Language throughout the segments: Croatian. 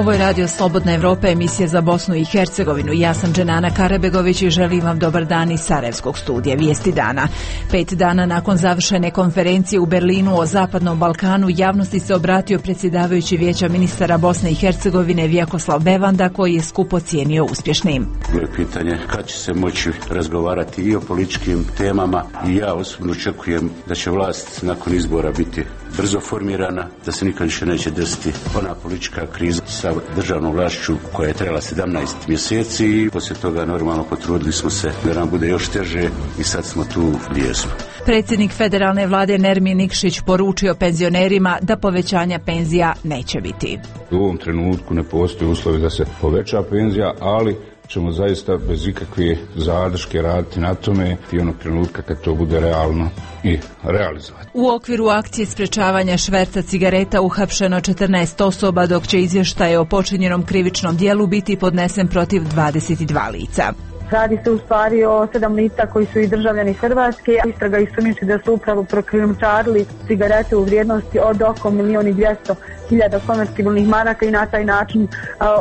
Ovo je Radio Slobodna Evropa, emisija za Bosnu i Hercegovinu. Ja sam Dženana Karabegović i želim vam dobar dan iz Sarajevskog studija Vijesti dana. 5 dana nakon završene konferencije u Berlinu o Zapadnom Balkanu, javnosti se obratio predsjedavajući Vijeća ministara Bosne i Hercegovine Vjekoslav Bevanda, koji je skup ocijenio uspješnim. Bilo je pitanje kad će se moći razgovarati i o političkim temama i ja osobno očekujem da će vlast nakon izbora biti brzo formirana, da se nikad više neće desiti ona politička kriza sa državnom vlašću koja je trajala 17 mjeseci i poslije toga normalno potrudili smo se da nam bude još teže i sad smo tu gdje jesmo. Predsjednik federalne vlade Nermin Nikšić poručio penzionerima da povećanja penzija neće biti. U ovom trenutku ne postoji uslovi da se poveća penzija, ali ćemo zaista bez ikakve zadrške raditi na tome i onog trenutka kad to bude realno i realizovati. U okviru akcije sprečavanja šverca cigareta uhapšeno 14 osoba, dok će izvještaj o počinjenom krivičnom djelu biti podnesen protiv 22 lica. Radi se u stvari o 7 lica koji su i državljani Hrvatske. Istraga ih sumnjiči da su upravo prokrijumčarili cigarete u vrijednosti od oko 1.200.000 konvertibilnih maraka i na taj način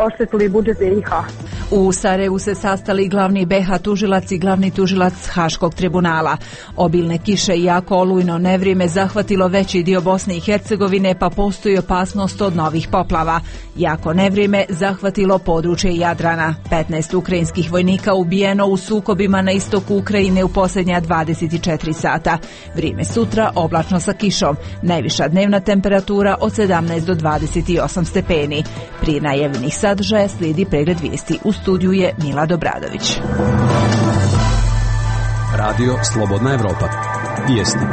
oštetili budžet BiH. U Sarajevu se sastali glavni BiH tužilac i glavni tužilac Haškog tribunala. Obilne kiše i jako olujno nevrijeme zahvatilo veći dio Bosne i Hercegovine, pa postoji opasnost od novih poplava. Jako nevrijeme zahvatilo područje Jadrana. 15 ukrajinskih vojnika ubijeno u sukobima na istoku Ukrajine u posljednja 24 sata. Vrijeme sutra oblačno sa kišom. Najviša dnevna temperatura od 17 do 28 stepeni. Prije najavljenih sadržaja slijedi pregled vijesti. U studiju je Mila Dobradović. Radio Slobodna Evropa. Vijesti.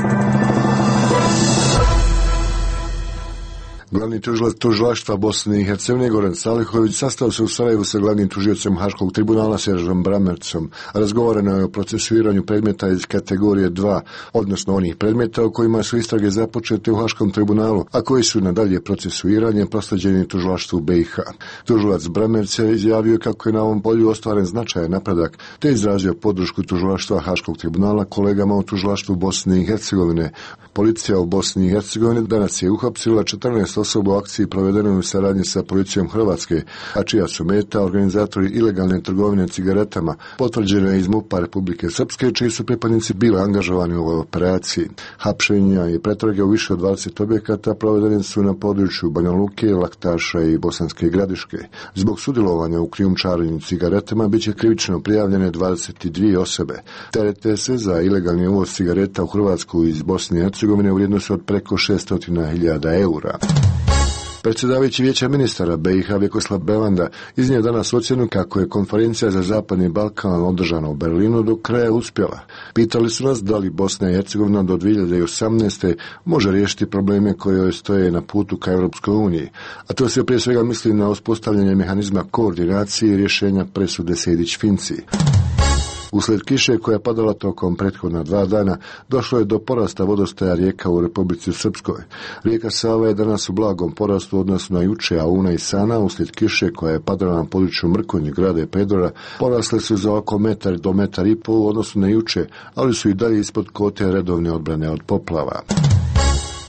Glavni tužilac tužilaštva Bosne i Hercegovine Goran Salihović sastao se u Sarajevu sa glavnim tužiocem Haškog tribunala Seržom Bramercom. Razgovarano je o procesuiranju predmeta iz kategorije 2, odnosno onih predmeta o kojima su istrage započete u Haškom tribunalu, a koji su nadalje procesuiranje proslijeđeni tužilaštvu BiH. Tužilac Bramerc je izjavio kako je na ovom polju ostvaren značajan napredak, te izrazio podršku tužilaštva Haškog tribunala kolegama u tužilaštvu Bosne i Hercegovine. Policija u Bosni i Hercegovini danas je uhapsila 14 osoba u akciji provedenoj u saradnji sa policijom Hrvatske, a čija su meta organizatori ilegalne trgovine cigaretama, potvrđeno je iz MUP-a Republike Srpske, čiji su pripadnici bili angažovani u ovoj operaciji. Hapšenja i pretrage u više od 20 objekata provedene su na području Banja Luke, Laktaša i Bosanske Gradiške. Zbog sudjelovanja u krijumčarenju cigaretama biće krivično prijavljene 22 osobe. Terete se za ilegalni uvoz cigareta u Hrvatsku iz Bosne i Hercegovine u vrijednosti od preko 600.000 eura. Predsjedavajući Vijeća ministara BiH Vjekoslav Bevanda iznio danas ocjenu kako je konferencija za Zapadni Balkan održana u Berlinu do kraja uspjela. Pitali su nas da li Bosna i Hercegovina do 2018. može riješiti probleme koje joj stoje na putu ka Europskoj uniji, a to se prije svega misli na uspostavljanje mehanizma koordinacije i rješenja presude Sejdić-Finci. Usled kiše koja je padala tokom prethodna 2 dana, došlo je do porasta vodostaja rijeka u Republici Srpskoj. Rijeka Sava je danas u blagom porastu odnosno na juče, a Una i Sana, uslijed kiše koja je padala na području Mrkonje, Grada i Pedora, porasle su za oko 1 do 1,5 metra u odnosu na juče, ali su i dalje ispod kote redovne odbrane od poplava.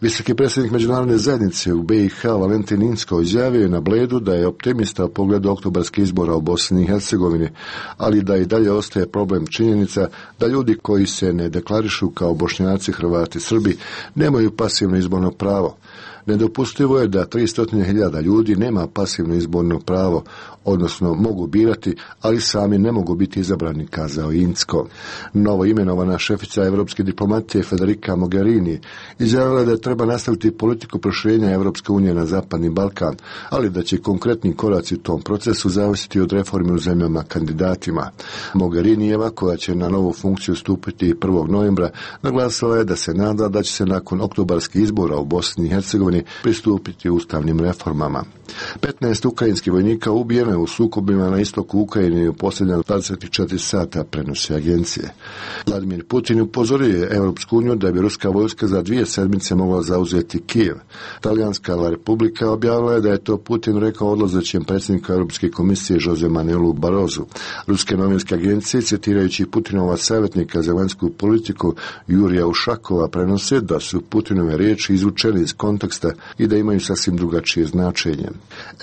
Visoki predsjednik međunarodne zajednice u BiH Valentin Inzko izjavio je na Bledu da je optimista u pogledu oktobarskih izbora u Bosni i Hercegovini, ali da i dalje ostaje problem činjenica da ljudi koji se ne deklarišu kao Bošnjaci, Hrvati, Srbi nemaju pasivno izborno pravo. Nedopustivo je da 300.000 ljudi nema pasivno izborno pravo, odnosno mogu birati, ali sami ne mogu biti izabrani, kazao Inzko. Novo imenovana šefica evropske diplomatije Federica Mogherini izjavila da treba nastaviti politiku proširenja Evropske unije na Zapadni Balkan, ali da će konkretni koraci u tom procesu zavisiti od reforme u zemljama kandidatima. Mogherinijeva, koja će na novu funkciju stupiti 1. novembra, naglasila je da se nada da će se nakon oktobarskih izbora u Bosni i Hercegovini pristupiti ustavnim reformama. 15 ukrajinskih vojnika ubijeno je u sukobima na istoku Ukrajine u posljednja 24 sata, prenose agencije. Vladimir Putin upozorio je Europsku uniju da bi ruska vojska za 2 sedmice mogla zauzeti Kijev. Talijanska La Republika objavila je da je to Putin rekao odlazećem predsjedniku Europske komisije Jose Manuelu Barrosu. Ruske novinske agencije, citirajući Putinova savjetnika za vanjsku politiku Jurija Ušakova, prenose da su Putinove riječi izvučene iz konteksta mjesta i da imaju sasvim drugačije značenje.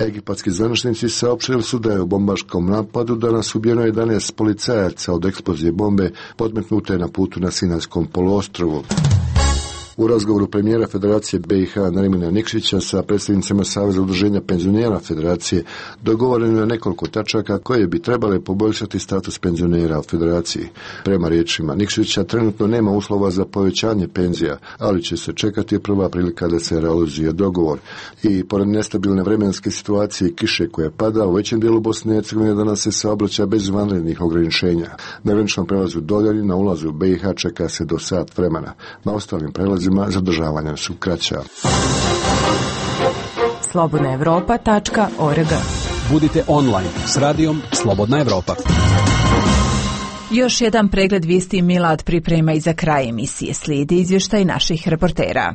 Egipatski zvaničnici saopštili su da je u bombaškom napadu danas ubijeno 11 policajaca od eksplozije bombe podmetnute na putu na Sinajskom poluostrvu. U razgovoru premijera Federacije BiH Nermina Nikšića sa predstavnicima Saveza udruženja penzionera Federacije dogovoreno je nekoliko tačaka koje bi trebale poboljšati status penzionera u Federaciji. Prema riječima Nikšića trenutno nema uslova za povećanje penzija, ali će se čekati prva prilika da se realizuje dogovor. I pored nestabilne vremenske situacije i kiše koja pada u većem dijelu Bosne i Hercegovine danas se saobraća bez vanrednih ograničenja. Na graničnom prelazu Doljani na ulazu u BiH čeka se do sat vremena. Na ostalim prelazima zadržavanja su kraća. slobodnaevropa.org. Budite online s radijom Slobodna Evropa. Još jedan pregled vijesti Milad priprema i za kraj emisije. Slijedi izvještaj naših reportera.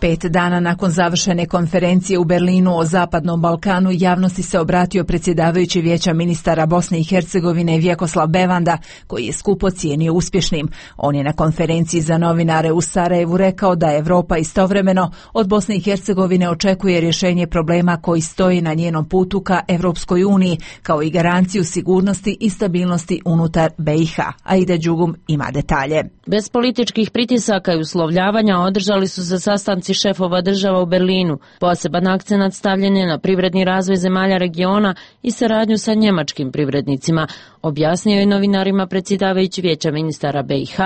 5 dana nakon završene konferencije u Berlinu o Zapadnom Balkanu javnosti se obratio predsjedavajući Vijeća ministara Bosne i Hercegovine Vjekoslav Bevanda, koji je skup ocijenio uspješnim. On je na konferenciji za novinare u Sarajevu rekao da Europa istovremeno od Bosne i Hercegovine očekuje rješenje problema koji stoji na njenom putu ka Europskoj uniji, kao i garanciju sigurnosti i stabilnosti unutar BiH. Aida Đugum ima detalje. Bez političkih pritisaka i uslovljavanja održali su se sastanci šefova država u Berlinu. Poseban akcenat stavljen je na privredni razvoj zemalja regiona i saradnju sa njemačkim privrednicima, objasnio je novinarima predsjedavajući Vijeća ministara BiH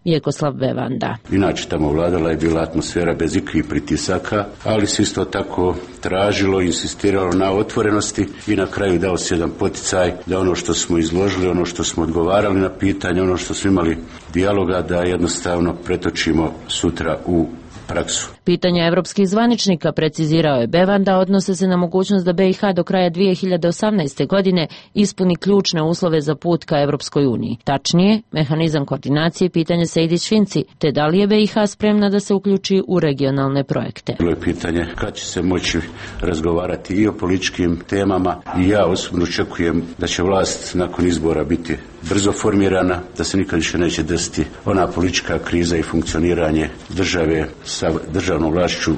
Vjekoslav Bevanda. Inače tamo vladala je bila atmosfera bez ikakvih pritisaka, ali se isto tako tražilo, insistiralo na otvorenosti i na kraju dao se jedan poticaj da ono što smo izložili, ono što smo odgovarali na pitanje, ono što smo imali dijaloga, da jednostavno pretočimo sutra u praksu. Pitanja evropskih zvaničnika, precizirao je Bevanda, odnose se na mogućnost da BiH do kraja 2018. godine ispuni ključne uslove za put ka Evropskoj uniji. Tačnije, mehanizam koordinacije pitanje Sejdić-Finci, te da li je BiH spremna da se uključi u regionalne projekte. Bilo je pitanje kad će se moći razgovarati i o političkim temama i ja osobno očekujem da će vlast nakon izbora biti brzo formirana, da se nikad više neće desiti ona politička kriza i funkcioniranje države sa državnom vlašću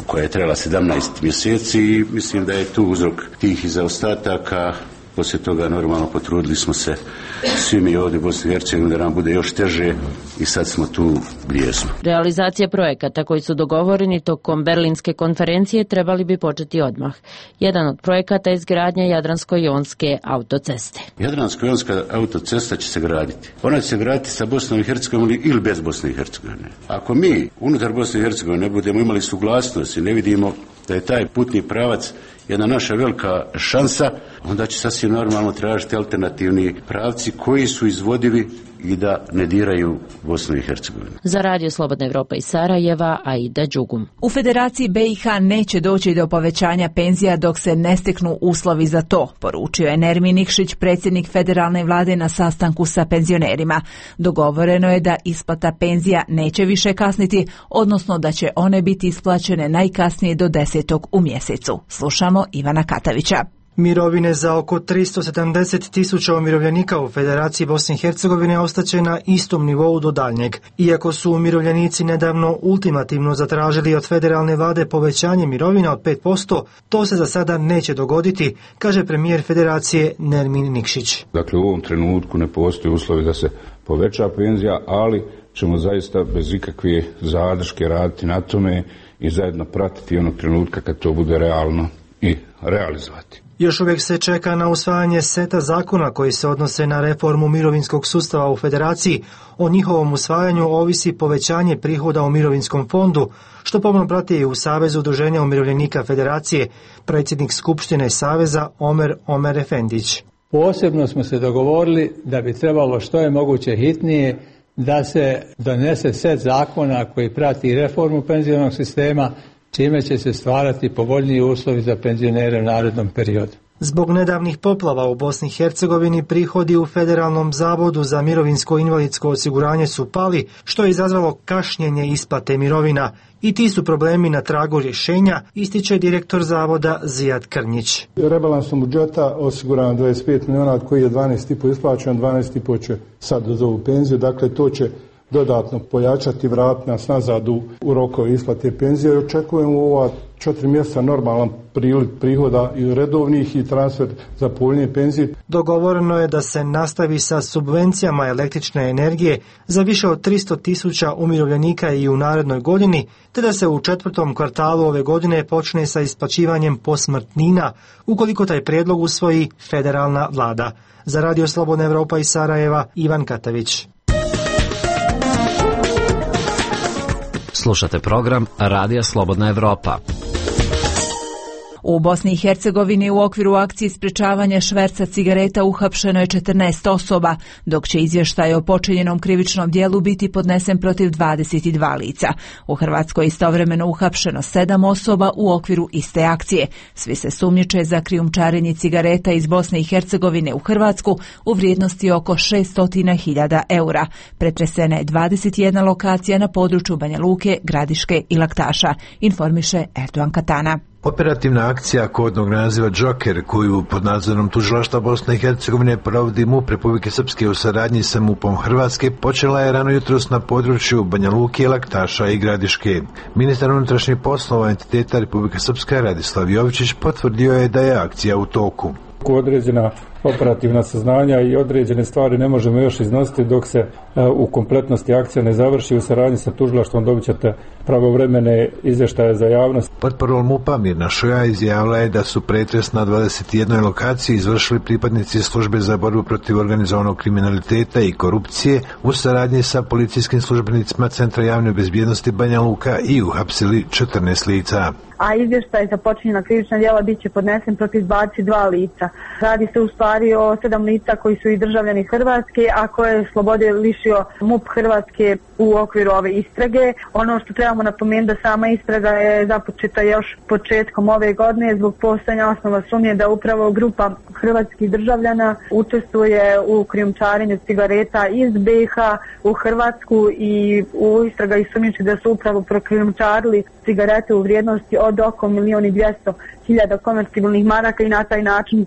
koja je trajala 17 mjeseci i mislim da je tu uzrok tih zaostataka. Poslije toga normalno potrudili smo se svi mi ovdje u Bosni i Hercegovini da nam bude još teže i sad smo tu gdje smo. Realizacija projekata koji su dogovoreni tokom Berlinske konferencije trebali bi početi odmah. Jedan od projekata je izgradnja Jadransko-jonske autoceste. Jadransko-jonska autocesta će se graditi. Ona će se graditi sa Bosnom i Hercegovinom ili bez Bosne i Hercegovine. Ako mi unutar Bosne i Hercegovine ne budemo imali suglasnost i ne vidimo da je taj putni pravac jedna naša velika šansa, onda će sasvim normalno tražiti alternativni pravci koji su izvodivi i da ne diraju Bosnu i Hercegovinu. Za Radio Slobodna Evropa iz Sarajeva, Aida Đugum. U Federaciji BiH neće doći do povećanja penzija dok se ne steknu uslovi za to, poručio je Nermin Nikšić, predsjednik federalne vlade na sastanku sa penzionerima. Dogovoreno je da isplata penzija neće više kasniti, odnosno da će one biti isplaćene najkasnije do 10. u mjesecu. Slušamo Ivana Katavića. Mirovine za oko 370.000 umirovljenika u Federaciji Bosne i Hercegovine ostaće na istom nivou do daljnjeg. Iako su umirovljenici nedavno ultimativno zatražili od federalne vlade povećanje mirovina od 5%, to se za sada neće dogoditi, kaže premijer Federacije Nermin Nikšić. Dakle, u ovom trenutku ne postoji uslovi da se poveća penzija, ali ćemo zaista bez ikakve zadrške raditi na tome i zajedno pratiti onog trenutka kad to bude realno i realizovati. Još uvijek se čeka na usvajanje seta zakona koji se odnose na reformu mirovinskog sustava u Federaciji. O njihovom usvajanju ovisi povećanje prihoda u mirovinskom fondu, što pomno prati i u Savezu udruženja umirovljenika Federacije, predsjednik Skupštine Saveza Omer Efendić. Posebno smo se dogovorili da bi trebalo što je moguće hitnije da se donese set zakona koji prati reformu penzionog sistema, čime će se stvarati povoljniji uslovi za penzionere u narednom periodu. Zbog nedavnih poplava u Bosni i Hercegovini prihodi u Federalnom zavodu za mirovinsko i invalidsko osiguranje su pali, što je izazvalo kašnjenje isplate mirovina. I ti su problemi na tragu rješenja, ističe direktor zavoda Zijad Krnjić. Rebalansom budžeta osigurano 25 milijuna, od koji je 12,5 isplaćeno, 12,5 će sad uz ovu penziju, dakle to će dodatno pojačati, vratiti nas nazad u rokove isplate penzije i očekujemo u ova 4 mjeseca normalan priliv prihoda i redovnih i transfer za povoljnije penzije. Dogovoreno je da se nastavi sa subvencijama električne energije za više od 300.000 umirovljenika i u narednoj godini, te da se u 4. kvartalu ove godine počne sa isplaćivanjem posmrtnina, ukoliko taj prijedlog usvoji federalna vlada. Za Radio Slobodna Evropa iz Sarajeva, Ivan Katavić. Slušate program Radija Slobodna Evropa. U Bosni i Hercegovini u okviru akcije sprečavanja šverca cigareta uhapšeno je 14 osoba, dok će izvještaj o počinjenom krivičnom djelu biti podnesen protiv 22 lica. U Hrvatskoj istovremeno uhapšeno 7 osoba u okviru iste akcije. Svi se sumnjiče za krijumčarenje cigareta iz Bosne i Hercegovine u Hrvatsku u vrijednosti oko 600.000 eura. Pretresena je 21 lokacija na području Banja Luke, Gradiške i Laktaša, informiše Erdogan Katana. Operativna akcija kodnog naziva Joker, koju pod nadzorom tužilaštva Bosne i Hercegovine provodi MUP Republike Srpske u saradnji sa MUP-om Hrvatske, počela je rano jutros na području Banja Luke, Laktaša i Gradiške. Ministar unutrašnjih poslova entiteta Republike Srpske Radislav Jovičić potvrdio je da je akcija u toku. Određena operativna saznanja i određene stvari ne možemo još iznositi dok se u kompletnosti akcija ne završi. U saradnji sa tužilaštvom dobit ćete pravovremene izvještaje za javnost. Portparol MUP-a Mirna Šoja izjavila je da su pretres na 21 lokaciji izvršili pripadnici službe za borbu protiv organizovanog kriminaliteta i korupcije u saradnji sa policijskim službenicima Centra javne bezbjednosti Banja Luka i uhapsili 14 lica. A izvještaj za počinjena krivična djela bit će podnesen protiv 22 lica. Radi se u stvari o 7 lica koji su i državljani Hrvatske, a koje je slobode lišio MUP Hrvatske u okviru ove istrage. Ono što trebamo napomenuti da sama istraga je započeta još početkom ove godine zbog postojanja osnova sumnje da upravo grupa hrvatskih državljana učestvuje u krijumčarenju cigareta iz BiH u Hrvatsku i u istraga i sumnjiči da su upravo prokrijumčarili cigarete u vrijednosti od oko 1.200.000 konvertibilnih maraka i na taj način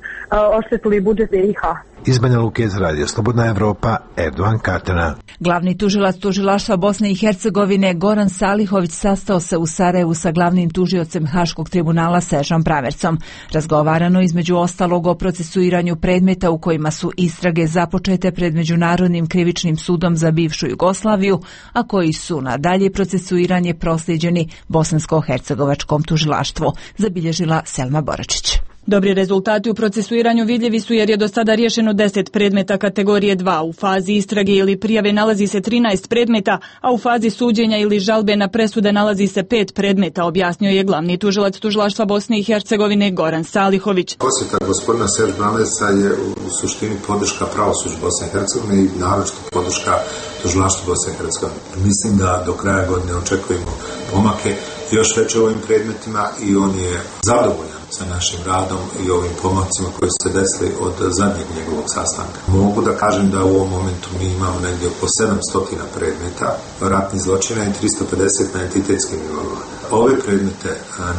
oštetili budžet BiH. Iz Banja Luke iz Radija Slobodna Evropa, Erdogan Katana. Glavni tužilac tužilaštva Bosne i Hercegovine Goran Salihović sastao se u Sarajevu sa glavnim tužiocem Haškog tribunala Seržom Bramercom. Razgovarano između ostalog o procesuiranju predmeta u kojima su istrage započete pred Međunarodnim krivičnim sudom za bivšu Jugoslaviju, a koji su na dalje procesuiranje proslijeđeni Bosansko-hercegovačkom tužilaštvu, zabilježila Selma Boračić. Dobri rezultati u procesuiranju vidljivi su jer je do sada riješeno 10 predmeta kategorije 2. U fazi istrage ili prijave nalazi se 13 predmeta, a u fazi suđenja ili žalbe na presude nalazi se 5 predmeta, objasnio je glavni tužilac tužilaštva Bosne i Hercegovine Goran Salihović. Posjeta gospodina Serž Bramerca je u suštini podrška pravosuđu Bosne i Hercegovine i naročito podrška tužilaštvu Bosne i Hercegovine. Mislim da do kraja godine očekujemo pomake još veće ovim predmetima i on je zadovoljan sa našim radom i ovim pomacima koji su se desili od zadnjeg njegovog sastanka. Mogu da kažem da u ovom momentu mi imamo negdje oko 700 predmeta ratnih zločina i 350 na entitetskim nivoima. Ove predmete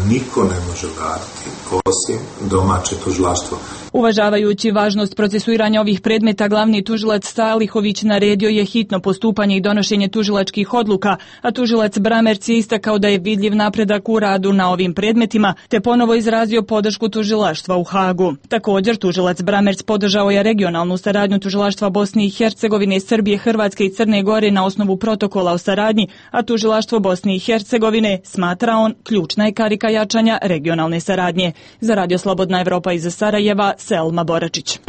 niko ne može raditi osim domaće tužilaštvo. Uvažavajući važnost procesuiranja ovih predmeta, glavni tužilac Salihović naredio je hitno postupanje i donošenje tužilačkih odluka, a tužilac Bramerc je istakao da je vidljiv napredak u radu na ovim predmetima, te ponovo izrazio podršku tužilaštva u Hagu. Također, tužilac Bramerc podržao je regionalnu saradnju tužilaštva Bosne i Hercegovine, Srbije, Hrvatske i Crne Gore na osnovu protokola o saradnji, a tužilaštvo Bosne i Hercegovine, smatra on, ključna je karika jačanja regionalne saradnje. Za Radio Slobodna Evropa iz Sarajeva, Selma Boračić.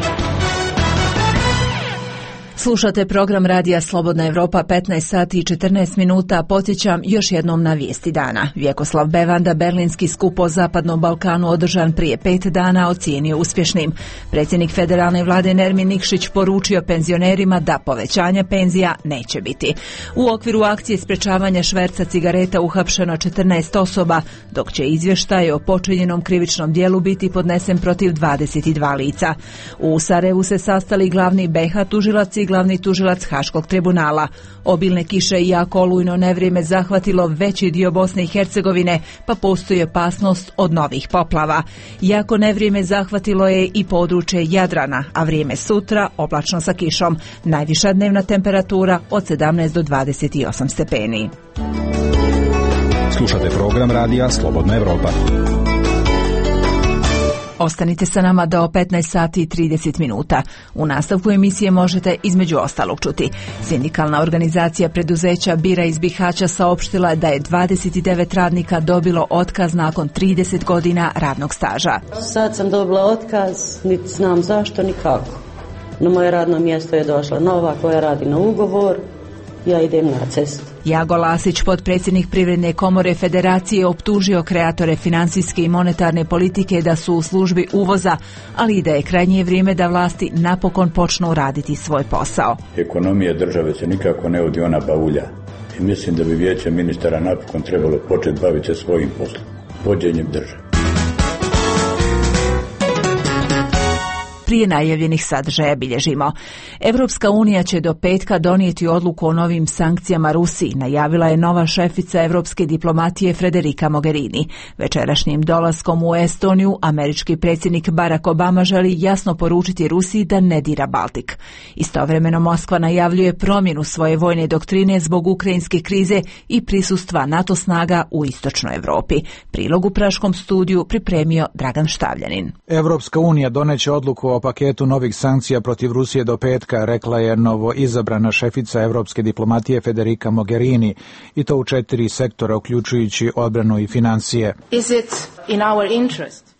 Slušate program Radija Slobodna Evropa, 15 sati i 14 minuta. Podsjećam još jednom na vijesti dana. Vjekoslav Bevanda berlinski skup o Zapadnom Balkanu održan prije 5 dana ocijenio uspješnim. Predsjednik federalne vlade Nermin Nikšić poručio penzionerima da povećanja penzija neće biti. U okviru akcije sprečavanja šverca cigareta uhapšeno 14 osoba, dok će izvještaj o počinjenom krivičnom djelu biti podnesen protiv 22 lica. U Sarajevu se sastali glavni BiH tužilac i i glavni tužilac Haškog tribunala. Obilne kiše i jako olujno nevrijeme zahvatilo veći dio Bosne i Hercegovine, pa postoji opasnost od novih poplava. Jako nevrijeme zahvatilo je i područje Jadrana, a vrijeme sutra oblačno sa kišom. Najviša dnevna temperatura od 17 do 28 stepeni. Slušate program radija Slobodna Evropa. Ostanite sa nama do 15 sati i 30 minuta. U nastavku emisije možete između ostalog čuti. Sindikalna organizacija preduzeća Bira iz Bihaća saopštila da je 29 radnika dobilo otkaz nakon 30 godina radnog staža. Sad sam dobila otkaz, niti znam zašto, ni kako. Na moje radno mjesto je došla nova koja radi na ugovor, ja idem na cestu. Jago Lasić, potpredsjednik Privredne komore Federacije, optužio kreatore financijske i monetarne politike da su u službi uvoza, ali i da je krajnje vrijeme da vlasti napokon počnu raditi svoj posao. Ekonomija države se nikako ne vodi ona bavulja i mislim da bi vijeće ministara napokon trebalo početi baviti se svojim poslom, vođenjem države. Prije najavljenih sadržaja bilježimo. Evropska unija će do petka donijeti odluku o novim sankcijama Rusiji, najavila je nova šefica evropske diplomatije Federica Mogherini. Večerašnjim dolaskom u Estoniju američki predsjednik Barack Obama želi jasno poručiti Rusiji da ne dira Baltik. Istovremeno Moskva najavljuje promjenu svoje vojne doktrine zbog ukrajinske krize i prisustva NATO snaga u istočnoj Europi. Prilog u Praškom studiju pripremio Dragan Štavljanin. Evropska unija doneće odluku o paketu novih sankcija protiv Rusije do petka, rekla je novo izabrana šefica evropske diplomatije Federica Mogherini, i to u 4 sektora, uključujući odbranu i financije.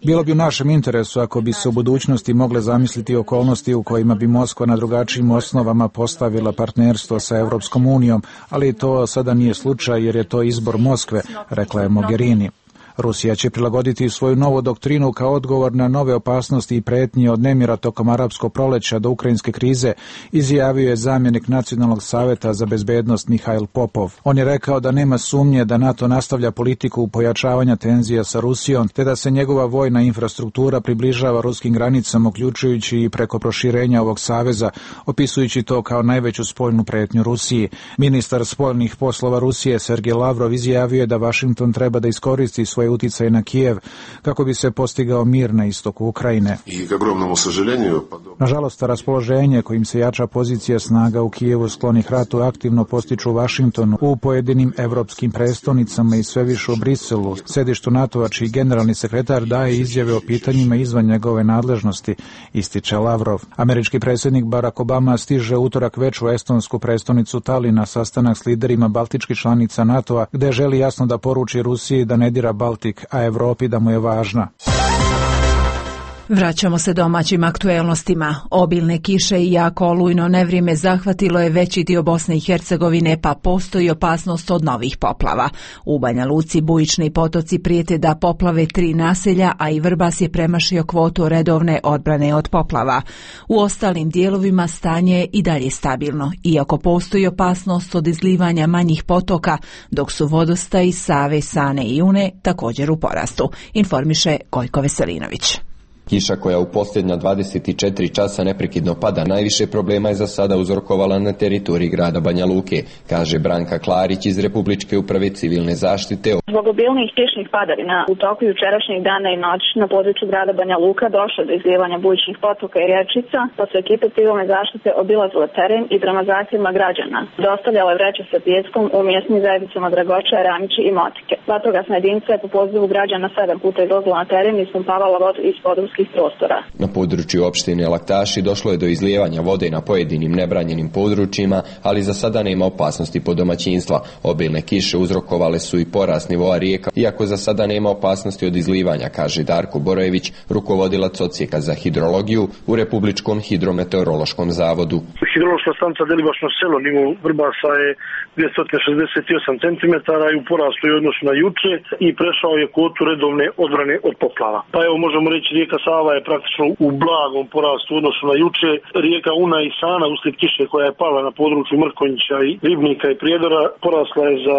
Bilo bi u našem interesu ako bi se u budućnosti mogle zamisliti okolnosti u kojima bi Moskva na drugačijim osnovama postavila partnerstvo sa Evropskom unijom, ali to sada nije slučaj jer je to izbor Moskve, rekla je Mogherini. Rusija će prilagoditi svoju novu doktrinu kao odgovor na nove opasnosti i pretnje od nemira tokom arapskog proleća do ukrajinske krize, izjavio je zamjenik Nacionalnog savjeta za bezbednost Mihail Popov. On je rekao da nema sumnje da NATO nastavlja politiku pojačavanja tenzija sa Rusijom, te da se njegova vojna infrastruktura približava ruskim granicama, uključujući i preko proširenja ovog saveza, opisujući to kao najveću spoljnu pretnju Rusiji. Ministar spoljnih poslova Rusije Sergej Lavrov izjavio je da Washington treba da iskoristi svoj utjecaj na Kijev kako bi se postigao mir na istoku Ukrajine. Nažalost, raspoloženje kojim se jača pozicija snaga u Kijevu sklonih ratu aktivno postiču u Washingtonu, u pojedinim evropskim prestonicama i sve više u Briselu, sedištu NATO-a, čiji generalni sekretar daje izjave o pitanjima izvan njegove nadležnosti, ističe Lavrov. Američki predsjednik Barack Obama stiže utorak već u estonsku prestonicu Tallinn na sastanak s liderima baltičkih članica NATO-a, gde želi jasno da poruči Rusiji da ne dira Baltik, a Evropi da mu je važna. Vraćamo se domaćim aktuelnostima. Obilne kiše i jako olujno nevrijeme zahvatilo je veći dio Bosne i Hercegovine, pa postoji opasnost od novih poplava. U Banja Luci bujični potoci prijete da poplave 3 naselja, a i Vrbas je premašio kvotu redovne odbrane od poplava. U ostalim dijelovima stanje je i dalje stabilno, iako postoji opasnost od izlivanja manjih potoka, dok su vodostaji Save, Sane i Une također u porastu, informiše Gojko Veselinović. Kiša koja u posljednja 24 časa neprekidno pada najviše problema je za sada uzrokovala na teritoriji grada Banja Luke, kaže Branka Klarić iz Republičke uprave civilne zaštite. Zbog obilnih kišnih padavina u toku jučerašnjeg dana i noći na području grada Banja Luka došlo do izlijevanja bujičnih potoka i rječica, pa su ekipe civilne zaštite obilazile teren i prema zahtjevima građana dostavljale vreće sa pijeskom u mjesnim zajednicama Dragoča, Ramići i Motike. Vatrogasna jedinica je po pozivu građana 7 puta izlazila na teren i ispumpavala vodu iz područskih prostora. Na području opštine Laktaši došlo je do izlijevanja vode na pojedinim nebranjenim područjima, ali za sada nema opasnosti po domaćinstva. Obilne kiše uzrokovale su i porast nivoa rijeka, iako za sada nema opasnosti od izlivanja, kaže Darko Borojević, rukovodilac odsjeka za hidrologiju u Republičkom hidrometeorološkom zavodu. Hidrološka stanica Delibašno selo nivo Vrbasa je 268 cm i u porastu je odnosu na juče i prešao je kvotu redovne odbrane od poplava. Pa evo možemo reći rijeka Sava je praktično u blagom porastu u odnosu na juče. Rijeka Una i Sana uslijed kiše koja je pala na području Mrkonjića i Ribnika i Prijedora porasla je za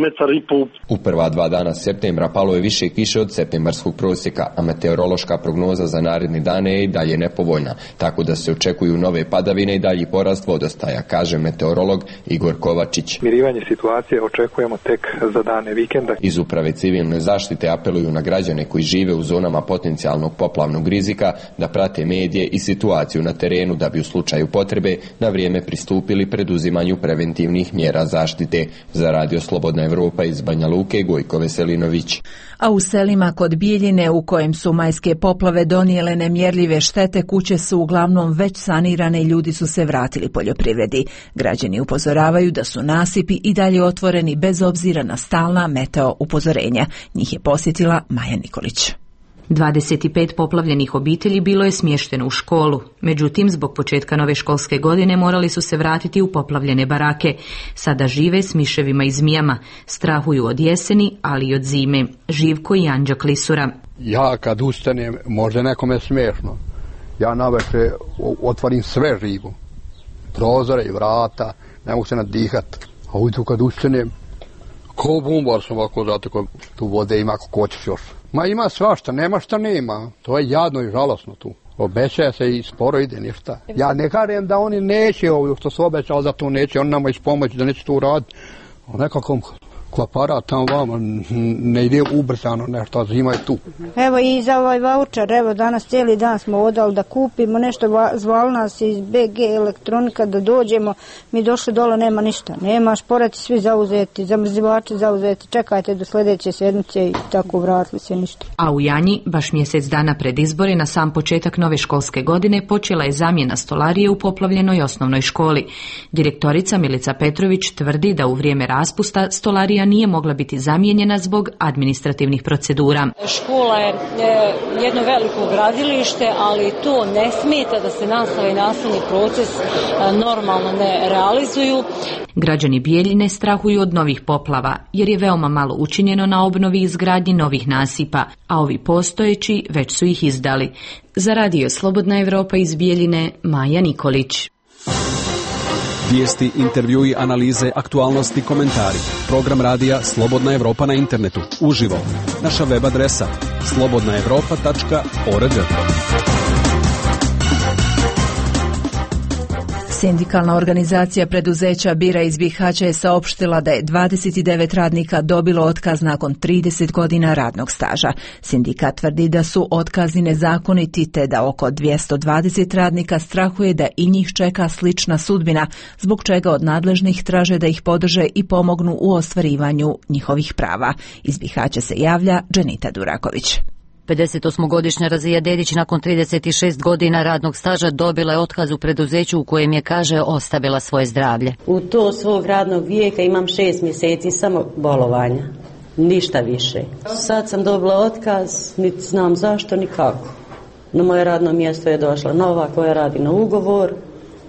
metar i pol. U prva 2 dana septembra palo je više kiše od septembarskog prosjeka, a meteorološka prognoza za naredne dane je i dalje nepovoljna, tako da se očekuju nove padavine i dalji porast vodostaja, kaže meteorolog Igor Kovačić. Mirivanje situacije očekujemo tek za dane vikenda. Iz Uprave civilne zaštite apeluju na građane koji žive u zonama potencijalnog poplavnog rizika da prate medije i situaciju na terenu da bi u slučaju potrebe na vrijeme pristupili preduzimanju preventivnih mjera zaštite. Za Radio Slobodna Evropa iz Banja Luke, Gojko Veselinović. A u selima kod Bijeljine, u kojem su majske poplave donijele nemjerljive štete, kuće su uglavnom već sanirane i ljudi su se vratili poljoprivredi. Građani upozoravaju da su nasipi i dalje otvoreni bez obzira na stalna meteo upozorenja. Njih je posjetila Maja Nikolić. 25 poplavljenih obitelji bilo je smješteno u školu. Međutim, zbog početka nove školske godine morali su se vratiti u poplavljene barake. Sada žive s miševima i zmijama. Strahuju od jeseni, ali i od zime. Živko i Anđa Klisura. Ja kad ustanem, možda nekome smiješno, ja navečer otvorim sve živo. Prozore i vrata, ne mogu se nadihat. A ujutru kad ustanem, ko bumbar sam ovako, zato ko tu vode ima kako hoćeš još. Ma ima svašta, nema šta nema. To je jadno i žalosno tu. Obećaje se i sporo ide ništa. Ja ne kažem da oni neće ovo što su obećali da to neće, on nama ispomoći da neće to uraditi. Nekako klapara tamo vama ne ide ubrzano nešto, zima je tu. Evo i za ovaj vaučar, evo danas cijeli dan smo odali da kupimo nešto, zvali nas iz BG elektronika da dođemo, mi došli dole, nema ništa, nema, šporati svi zauzeti, zamrzivači zauzeti, čekajte do sljedeće sjednice i tako vratili se ništa. A u Janji, baš mjesec dana pred izbore, na sam početak nove školske godine, počela je zamjena stolarije u poplavljenoj osnovnoj školi. Direktorica Milica Petrović tvrdi da u vrijeme raspusta stolarija nije mogla biti zamijenjena zbog administrativnih procedura. Škola je jedno veliko gradilište, ali to ne smeta da se nastava i nastavni proces normalno ne realizuju. Građani Bijeljine strahuju od novih poplava, jer je veoma malo učinjeno na obnovi i izgradnji novih nasipa, a ovi postojeći već su ih izdali. Za Radio Slobodna Evropa iz Bijeljine, Maja Nikolić. Vijesti, intervjui, analize, aktualnosti, komentari. Program radija Slobodna Evropa na internetu. Uživo. Naša web adresa slobodnaevropa.org. Sindikalna organizacija preduzeća Bira iz Bihaća je saopštila da je 29 radnika dobilo otkaz nakon 30 godina radnog staža. Sindikat tvrdi da su otkazi nezakoniti te da oko 220 radnika strahuje da i njih čeka slična sudbina, zbog čega od nadležnih traže da ih podrže i pomognu u ostvarivanju njihovih prava. Iz Bihaća se javlja Dženita Duraković. 58-godišnja Razija Dedić nakon 36 godina radnog staža dobila je otkaz u preduzeću u kojem je, kaže, ostavila svoje zdravlje. U to svog radnog vijeka imam 6 mjeseci samo bolovanja, ništa više. Sad sam dobila otkaz, niti znam zašto, ni kako. Na moje radno mjesto je došla nova koja radi na ugovor,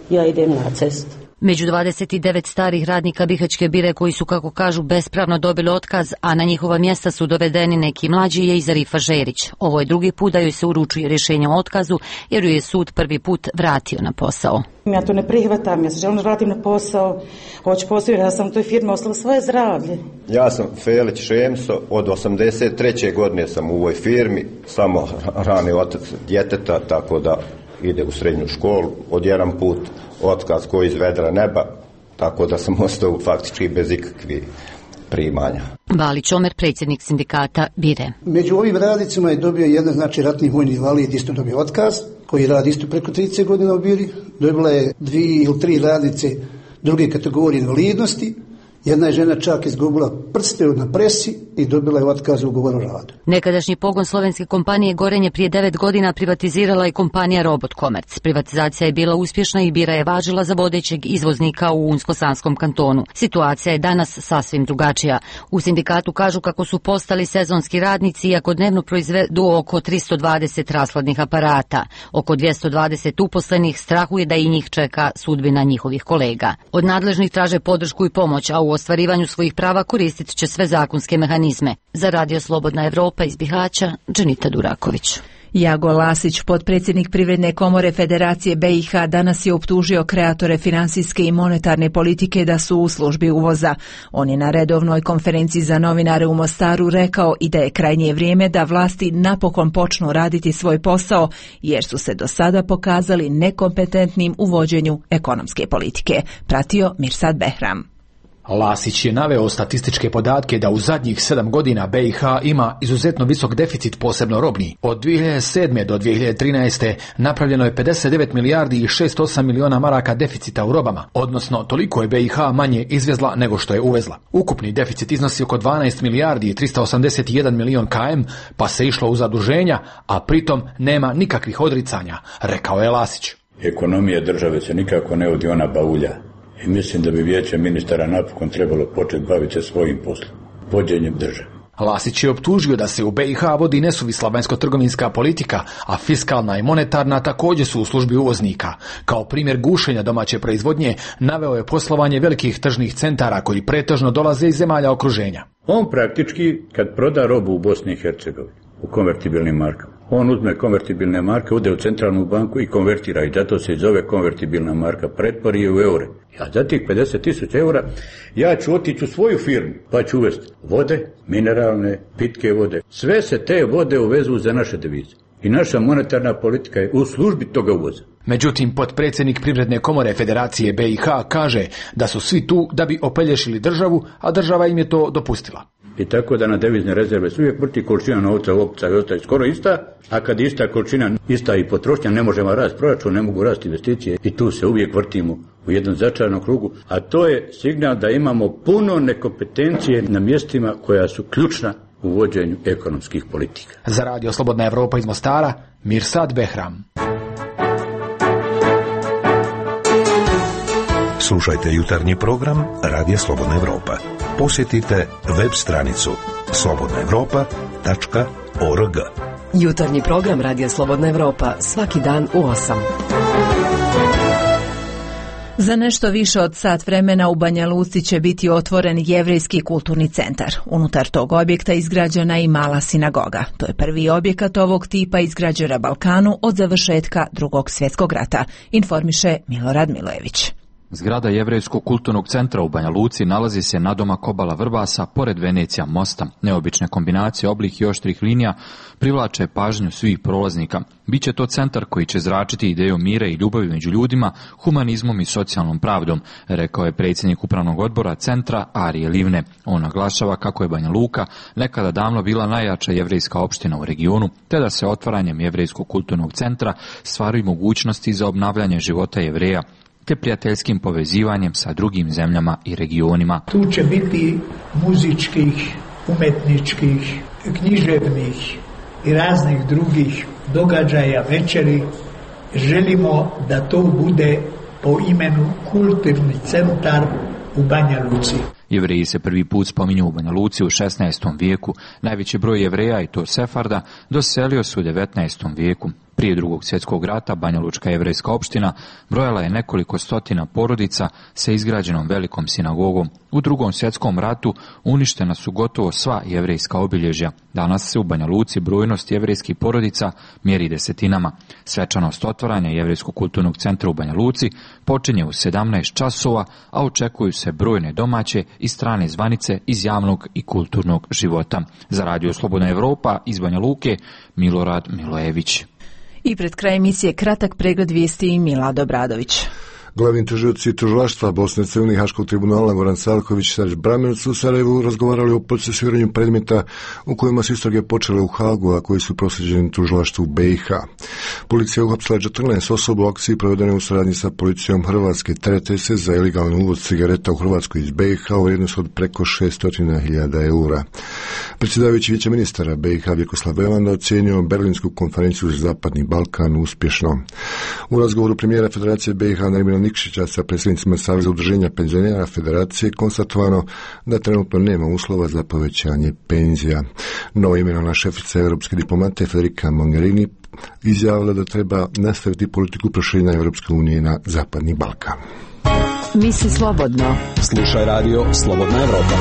ja idem na cestu. Među 29 starih radnika Bihaćke Bire koji su, kako kažu, bespravno dobili otkaz, a na njihova mjesta su dovedeni neki mlađi, je i Zarifa Žerić. Ovo je drugi put da joj se uručuje rješenje o otkazu, jer ju je sud prvi put vratio na posao. Ja to ne prihvatam, ja se želim vratim na posao, hoću postaviti da sam u toj firmi ostala svoje zdravlje. Ja sam Felić Šemso, od 83. godine sam u ovoj firmi, samo rani otac djeteta, tako da ide u srednju školu, od jedan put otkaz koji iz vedra neba, tako da sam ostao faktički bez ikakvih primanja. Valić Omer, predsjednik sindikata Bire. Među ovim radnicima je dobio jedan, znači, ratni vojni invalid, isto dobio otkaz, koji radi isto preko 30 godina u Biri. Dobila je 2 ili 3 radnice druge kategorije invalidnosti. Jedna je žena čak izgubila prste na presi i dobila je otkaz u ugovoru o radu. Nekadašnji pogon slovenske kompanije Gorenje prije 9 godina privatizirala je kompanija Robot Komerc. Privatizacija je bila uspješna i Bira je važila za vodećeg izvoznika u Unsko-Sanskom kantonu. Situacija je danas sasvim drugačija. U sindikatu kažu kako su postali sezonski radnici, iako dnevno proizvedu oko 320 rashladnih aparata. Oko 220 uposlenih strahuje da i njih čeka sudbina njihovih kolega. Od nadležnih traže podršku i pomoć, a u ostvarivanju svojih prava koristit će sve zakonske mehanizme. Za Radio Slobodna Evropa iz Bihaća, Dženita Duraković. Jago Lasić, potpredsjednik Privredne komore Federacije BiH, danas je optužio kreatore finansijske i monetarne politike da su u službi uvoza. On je na redovnoj konferenciji za novinare u Mostaru rekao i da je krajnje vrijeme da vlasti napokon počnu raditi svoj posao, jer su se do sada pokazali nekompetentnim u vođenju ekonomske politike. Pratio Mirsad Behram. Lasić je naveo statističke podatke da u zadnjih 7 godina BiH ima izuzetno visok deficit, posebno robni. Od 2007. do 2013. napravljeno je 59 milijardi i 608 miliona maraka deficita u robama, odnosno toliko je BiH manje izvezla nego što je uvezla. Ukupni deficit iznosi oko 12 milijardi i 381 milion km, pa se išlo u zaduženja, a pritom nema nikakvih odricanja, rekao je Lasić. Ekonomija države se nikako ne vodi ona baulja. I mislim da bi vijeće ministara napokon trebalo početi baviti se svojim poslom, vođenjem države. Lasić je optužio da se u BiH vodi nesuvisla vanjsko-trgovinska politika, a fiskalna i monetarna također su u službi uvoznika. Kao primjer gušenja domaće proizvodnje naveo je poslovanje velikih tržnih centara koji pretežno dolaze iz zemalja okruženja. On praktički, kad proda robu u Bosni i Hercegovini, u konvertibilnim markama, on uzme konvertibilne marke, ode u centralnu banku i konvertira, i zato se zove konvertibilna marka, pretvori je u eure. Ja za tih 50.000 eura ja ću otići u svoju firmu pa ću uvesti vode, mineralne, pitke vode. Sve se te vode uvezu za naše devize. I naša monetarna politika je u službi toga uvoza. Međutim, potpredsjednik Privredne komore Federacije BiH kaže da su svi tu da bi opelješili državu, a država im je to dopustila. I tako da na devizne rezerve se uvijek vrti količina novca, opca i ostaje skoro ista, a kad ista količina, ista i potrošnja, ne možemo rasti proračun, ne mogu rasti investicije i tu se uvijek vrtimo u jednom začaranom krugu, a to je signal da imamo puno nekompetencije na mjestima koja su ključna u vođenju ekonomskih politika. Za Radio Slobodna Evropa iz Mostara, Mirsad Behram. Slušajte jutarnji program Radija Slobodna Evropa. Posjetite web stranicu slobodnaevropa.org. Jutarnji program Radija Slobodna Evropa svaki dan u 8. Za nešto više od sat vremena u Banja Luci će biti otvoren Jevrejski kulturni centar. Unutar tog objekta izgrađena i mala sinagoga. To je prvi objekat ovog tipa izgrađen na Balkanu od završetka Drugog svjetskog rata, informiše Milorad Milojević. Zgrada Jevrejskog kulturnog centra u Banja Luci nalazi se nadomak obala Vrbasa, pored Venecija mosta. Neobične kombinacije oblik i oštrih linija privlače pažnju svih prolaznika. Biće to centar koji će zračiti ideju mira i ljubavi među ljudima, humanizmom i socijalnom pravdom, rekao je predsjednik upravnog odbora centra Arije Livne. On naglašava kako je Banja Luka nekada davno bila najjača jevrejska opština u regionu, te da se otvaranjem Jevrejskog kulturnog centra stvaraju mogućnosti za obnavljanje života Jevreja, te prijateljskim povezivanjem sa drugim zemljama i regionima. Tu će biti muzičkih, umetničkih, književnih i raznih drugih događaja, večeri. Želimo da to bude po imenu Kulturni centar u Banja Luci. Jevreji se prvi put spominju u Banja Luci u 16. vijeku. Najveći broj Jevreja, i to Sefarda, doselio se u 19. vijeku. Prije Drugog svjetskog rata Banja Lučka jevrejska opština brojala je nekoliko stotina porodica sa izgrađenom velikom sinagogom. U Drugom svjetskom ratu uništena su gotovo sva jevrejska obilježja. Danas se u Banja Luci brojnost jevrejskih porodica mjeri desetinama. Svečanost otvaranja Jevrejskog kulturnog centra u Banja Luci počinje u 17 časova, a očekuju se brojne domaće i strane zvanice iz javnog i kulturnog života. Za Radio Slobodna Evropa iz Banja Luke, Milorad Milojević. I pred kraj emisije kratak pregled vijesti i Milad Obradović. Glavni tužioci tužilaštva Bosne i Hercegovine i Haškog tribunala Goran Salković i Sarić Bramerc u Sarajevu razgovarali o procesuiranju predmeta u kojima su istrage počele u Hagu, a koji su proslijeđeni tužilaštvu u BiH. Policija je uhapsila 14 osoba u akciji provedene u suradnji sa policijom Hrvatske. Terete se za ilegalni uvoz cigareta u Hrvatskoj iz BiH u vrijednosti od preko 600.000 eura. Predsjedavajući vijeća ministara BiH Vjekoslav Velanda ocjenio Berlinsku konferenciju za Zapadni Balkan uspješno. U razgovoru premijera Federacije BiH Nermina Nikšića sa predsjednicima Saveza udruženja penzionera Federacije konstatovano da trenutno nema uslova za povećanje penzija. Novo imenovana šefica europske diplomate Federica Mogherini izjavila da treba nastaviti politiku proširenja Europske unije na Zapadni Balkan. Misli slobodno. Slušaj Radio Slobodna Evropa.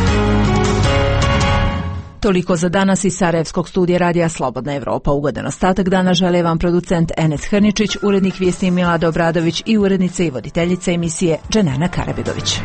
Toliko za danas iz Sarajevskog studija radija Slobodna Evropa. Ugodan ostatak dana žele vam producent Enes Hrničić, urednik vijesti Milada Obradović i urednica i voditeljica emisije Dženana Karabegović.